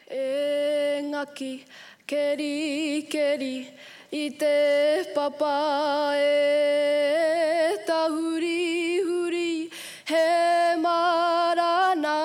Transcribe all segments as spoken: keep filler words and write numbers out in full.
E ngaki, keri, keri, i te papa e tahuri huri, he marana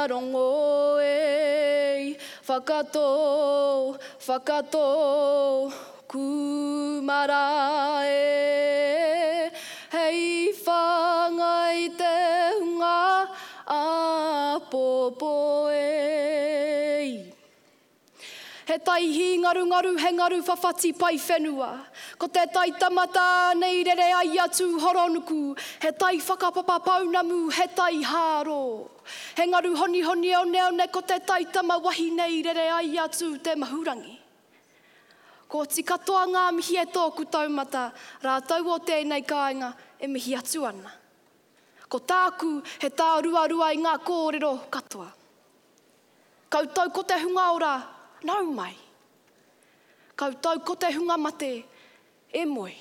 rongo e. Whakatō, whakatō, kūmara e. Hei whāngai te hunga āpōpō e. He tai hīngarungaru, he ngaru whawhati pai whenua. Ko te tai tamata nei rere ai a Tūhoronuku. He tai whakapapa pounamu, he tai hāro. He ngaru honihoni oneone, ko te tai tama wahine i rere ai a Tū te Mahurangi. Koti katoa ngā mihi e tōku taumata, rātou o tēnei kāinga e mihi atu ana. Ko tāku he tāruarua i ngā kōrero katoa. Koutou ko te hunga ora, nau mai. Koutou ko te hunga mate, e moe.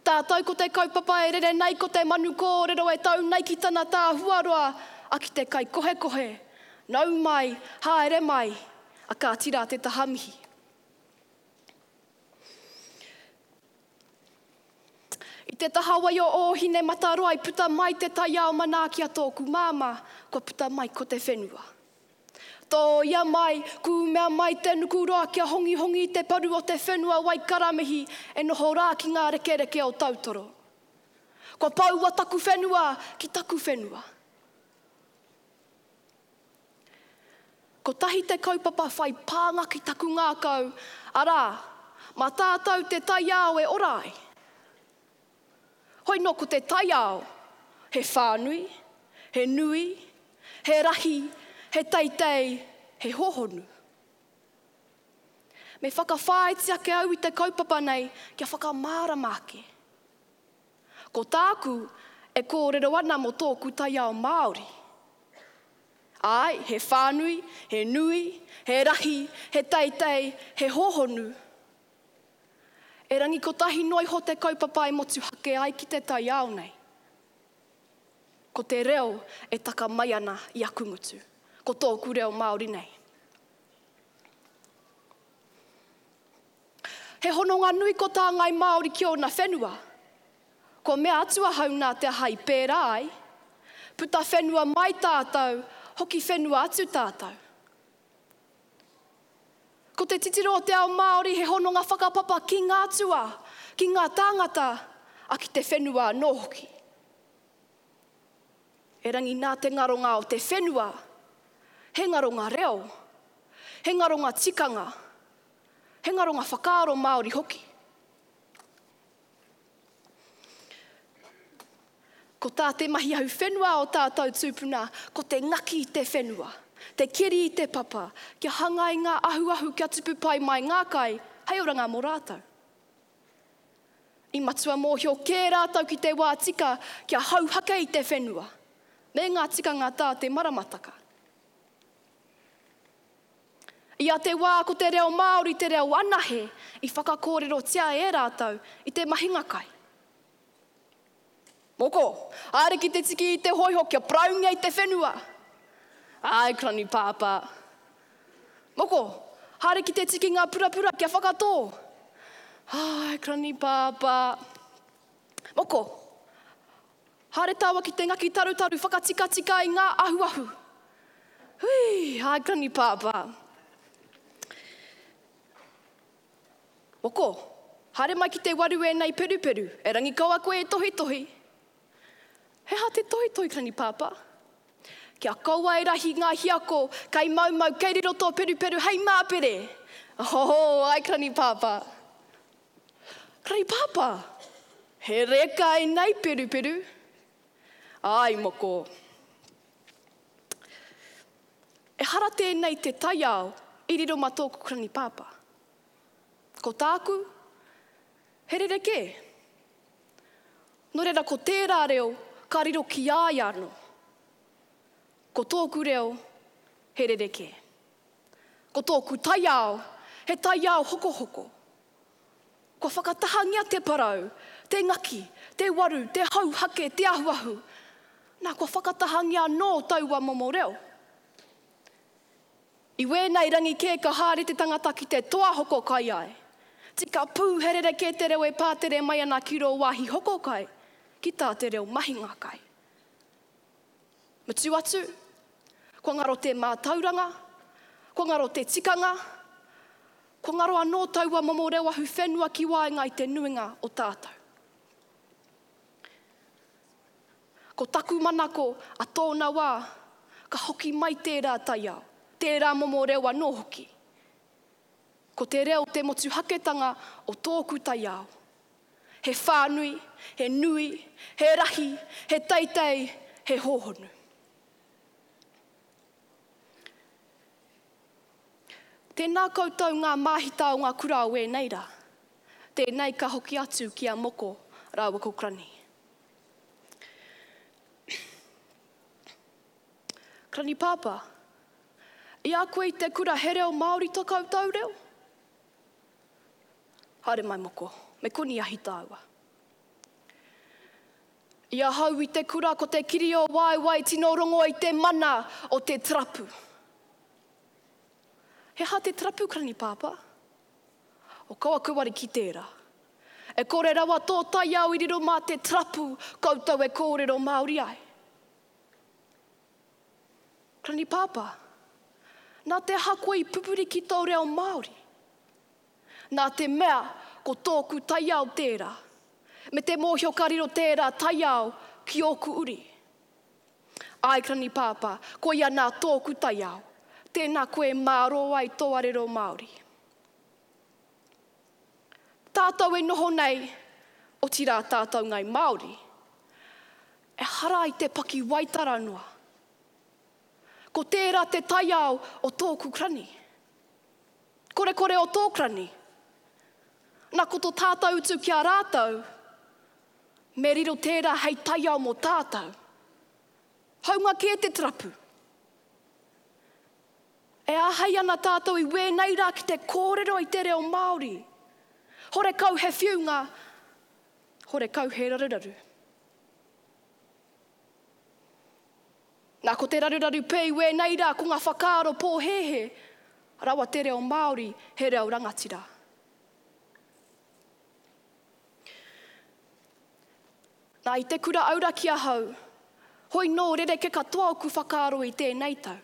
Tātou ko te kaupapa e rere nei ko te manu kōrero e tau nei ki tana tāhuaroa, a ki te kai kohekohe. Nau mai, haere mai, a kāti rā te taha mihi. I te taha wai o Ōhinemataroa i puta mai te taiao manaaki a tōku māmā, kua puta mai ko te whenua. Tōia mai, kūmea mai te nukuroa kia hongihongi i te paru o te whenua Waikaramihi e noho rā ki ngā rekereke o Tautoro. Kua poua taku whenua ki taku whenua. Kotahi te kaupapa whai pānga ki taku ngākau, arā, mā tātou te taiao e ora ai. Hoi nō ko te taiao, he whānui, he nui, he rahi, he teitei, he hōhonu. Me whakawhāiti ake au i te kaupapa nei kia whakamārama ake. Ko tāku e kōrero ana mō tōku taiao Māori. Āe, he whānui, he nui, he rahi, he teitei, he hōhonu. Erangi kotahi noa iho te kaupapa e motuhake ai ki te taiao nei. Ko te reo e taka mai ana i aku ngutu. Ko tōku reo Māori nei. He hononga nui ko tā Ngāi Māori ki ōna whenua. Kua mea atu ahau nā te aha i pērā ai. Puta whenua mai tātou, hoki whenua atu tātou. Ko te titiro o te ao Māori he hononga whakapapa ki ngā atua, ki ngā tāngata, a ki te whenua anō hoki. Erangi nā te ngaronga o te whenua, he ngaronga reo, he ngaronga tikanga, he ngaronga whakaaro Māori hoki. Ko tā te mahi ahu whenua o tātou tūpuna, ko te ngaki i te whenua, te keri i te papa, kia hanga i ngā ahuahu kia tupu pai mai ngā kai, hei oranga mō rātou. I matua mōhio kē rātou ki te wā tika kia hauhake i te whenua, me ngā tikanga tā te maramataka. I a te wā ko te reo Māori te reo anahe i whakakōrerotia e rātou i te mahinga kai. Moko, haere ki te tiki i te hōiho kia paraungia i te whenua. Ai, Granny Pāpā. Moko, haere ki te tiki ngā purapura kia whakatō. Ai, Granny Pāpā. Moko, haere tāua ki te ngaki tarutaru whakatikatika i ngā ahuahu. Hui, ai, Granny Pāpā. Moko, haere mai ki te waru ēnei peruperu, erangi kaua koe e tohitohi. He aha te tohitohi, Granny Pāpā? Kia kaua e rahi ngā hiako, kei maumau, kei riro tō peruperu hei māpere. Oh, ai, Granny Pāpā. Granny Pāpā, he reka ēnei peruperu. Ai, moko. Ehara tēnei te taiao i riro mā tōku Granny Pāpā. Ko tāku, he rerekē. Nō reira ko tērā reo ka riro ki a ia anō. Ko tōku reo, he rerekē. Ko tōku taiao, he taiao hokohoko. Kua whakatahangia te parau, te ngaki, te waru, te hauhake, te ahuahu. Nā, kua whakatahangia anō taua momo reo. I wēnei rangi kē ka haere te tangata ki te toa hoko kai ai. Tika pū he rerekē te reo e pātere mai ana ki rō wāhi hoko kai, ki tā te reo mahinga kai. Mutu atu, kua ngaro te mātauranga, kua ngaro te tikanga, kua ngaro anō taua momo reo ahu whenua ki waenga i te nuinga o tātou. Ko taku manako a tōna wā, ka hoki mai tērā taiao, tērā momo reo anō hoki. Ko te reo te motuhaketanga o tōku taiao. He whānui, he nui, he rahi, he teitei, he hōhonu. Tēnā koutou ngā māhita o ngā kura o ēnei rā. Tēnei ka hoki atu ki a Moko rāua ko Krani. Krani Pāpā, i a koe i te kura he reo Māori tō koutou reo? Haere mai Moko, me koni ahi tāua. I ahau i te kura ko te kiri o waewae tino rongo i te mana o te tarapu. He aha te tarapu, Krani Pāpā? O kaua koe wari ki tērā. E kore rawa tō taiao i riro mā te tarapu koutou e kōrero Māori ai. Krani Pāpā, nā te aha koe i pupuri ki tō reo Māori? Nā te mea ko tōku taiao tērā, me te mōhio ka riro tērā taiao ki ōku uri. Ai, Krani Pāpā, koia nā tōku taiao, tēnā koe mārō ai tō arero Māori. Tātou e noho nei, otirā tātou ngai Māori, e hara i te paki waitara noa. Ko tērā te taiao o tōku krani. Kore kore o tō krani. Nā ko tō tātou utu ki a rātou, me riro tērā hei taiao mō tātou. Haunga kē te tarapu. E āhei ana tātou i wēnei rā ki te kōrero i te reo Māori. Horekau he whiunga, horekau he raruraru. Nā ko te raruraru pē i wēnei rā ko ngā whakaaro pōhēhē, rawa te reo Māori he reo rangatira. Nā i te kura auraki ahau, hoi nō rereke katoa oku whakaaro i tēnei tau.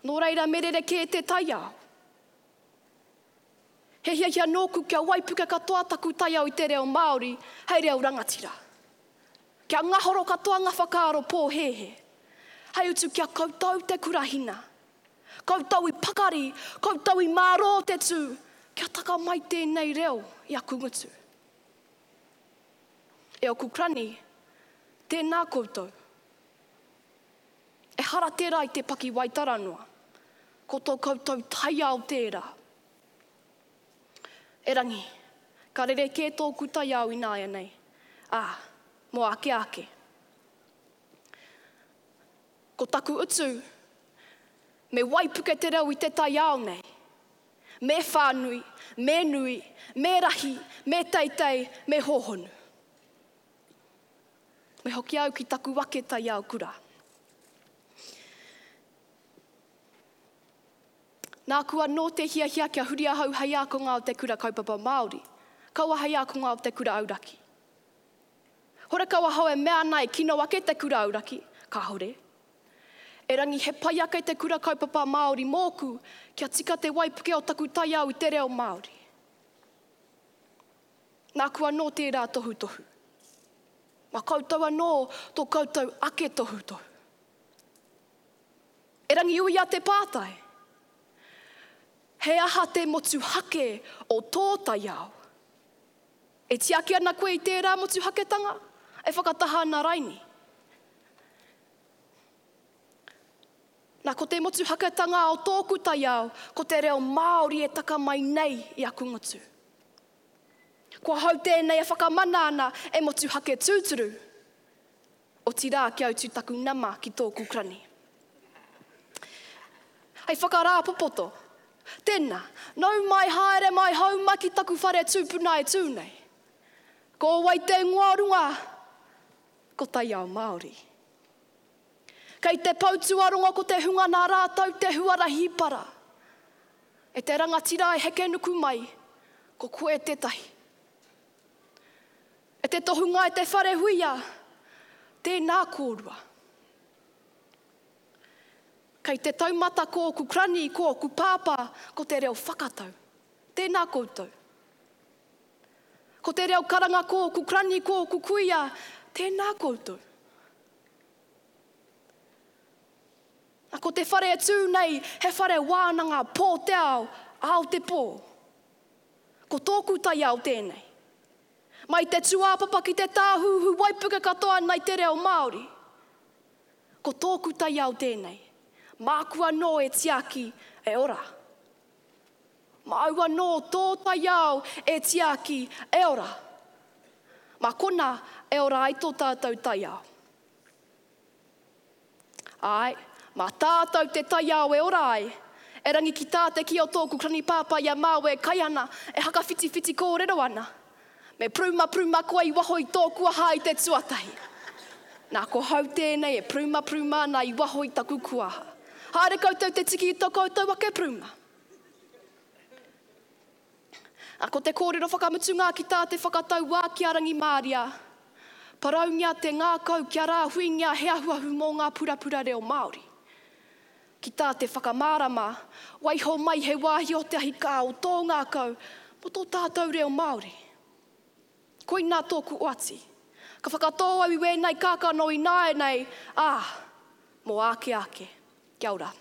Nō reira me rerekē te taiao. He hiahia nōku kia waipuke katoa taku taiao i te reo Māori hei reo rangatira. Kia ngahoro katoa ngā whakaaro pōhēhē. Hei utu kia koutou te kurahina. Koutou i pakari, koutou i mārō te tū, kia taka mai tēnei reo i aku ngutu. E oku krani, tēnā koutou. E hara tērā i te paki waitara noa. Ko tō koutou taiao tērā. Erangi, ka rerekē tōku taiao ināianei. Ā, mō ake ake. Ko taku utu, me waipuke te reo i te taiao nei. Me whānui, me nui, me rahi, me teitei, me hōhonu. Me hoki au ki taku ake taiao kura. Nāku anō te hiahia kia huri ahau hei ākonga o te kura kaupapa Māori, kaua hei ākonga o te kura auraki. Horekau ahau e mea ana e kino ake te kura auraki, kāore. Erangi he pai ake te kura kaupapa Māori mōku kia tika te waipuke o taku taiao i te reo Māori. Nāku anō tērā tohutohu. Ma koutou anō tō koutou ake tohutohu. Erangi uia te pātai. He aha te motuhake o tō taiao? E tiaki ana koe i tērā motuhaketanga? E whakataha ana raini? Nā, ko te motuhaketanga o tōku taiao, ko te reo Māori e taka mai nei i aku ngutu. Kua hau tēnei e whakamana ana e motuhake tūturu. Otirā kia utu taku nama ki tōku krani. Hei whakarāpopoto. Tēnā, nau mai haere mai hau mai ki taku whare tūpuna e tū nei. Ko wai te ingoa runga? Ko taiao Māori. Kei te poutuarongo ko te hunga nā rātou te huarahi para. E te rangatira e heke nuku mai, ko koe tētahi. E te tohunga e te whare huia, tēnā kōrua. Kei te taumata ko oku krani, ko oku pāpā, ko te reo whakatau. Tēnā koutou. Ko te reo karanga ko oku krani, ko oku kuia, tēnā koutou. Na, ko te whare e tū nei, he whare wānanga pō te ao, ao te pō. Ko tōku taiao tēnei. Mai te tūāpapa ki te tāhuhu waipuke katoa nei te reo Māori. Ko tōku taiao tēnei. Māku anō e tiaki e ora. Māu anō tō taiao e tiaki e ora. Mā kona e ora ai tō tātou taiao. Āe, mā tātou te taiao e ora ai. E rangi ki tā te ki o tōku krani pāpā i a māu e kai ana, e hakawhitiwhiti kōrero ana. Me pruma pruma koe i waho i tōku aha i te tuatahi. Nā ko hau tēnei e pruma pruma ana i waho i taku kuaha. Haere koutou te tiki i tō koutou ake pruma. A ko te kōrero whakamutunga ki tā te whakatauā ki a Rangimāria. Paraungia te ngākau kia rāhuingia he ahuahu mō ngā purapura reo Māori. Ki tā te whakamārama, waiho mai he wāhi o te ahi kā o tō ngākau mō tō tātou reo Māori. Koinā tōku oati. Ka whakatō au i wēnei kākano i nāianei, ā, mō āke āke. Kia ora.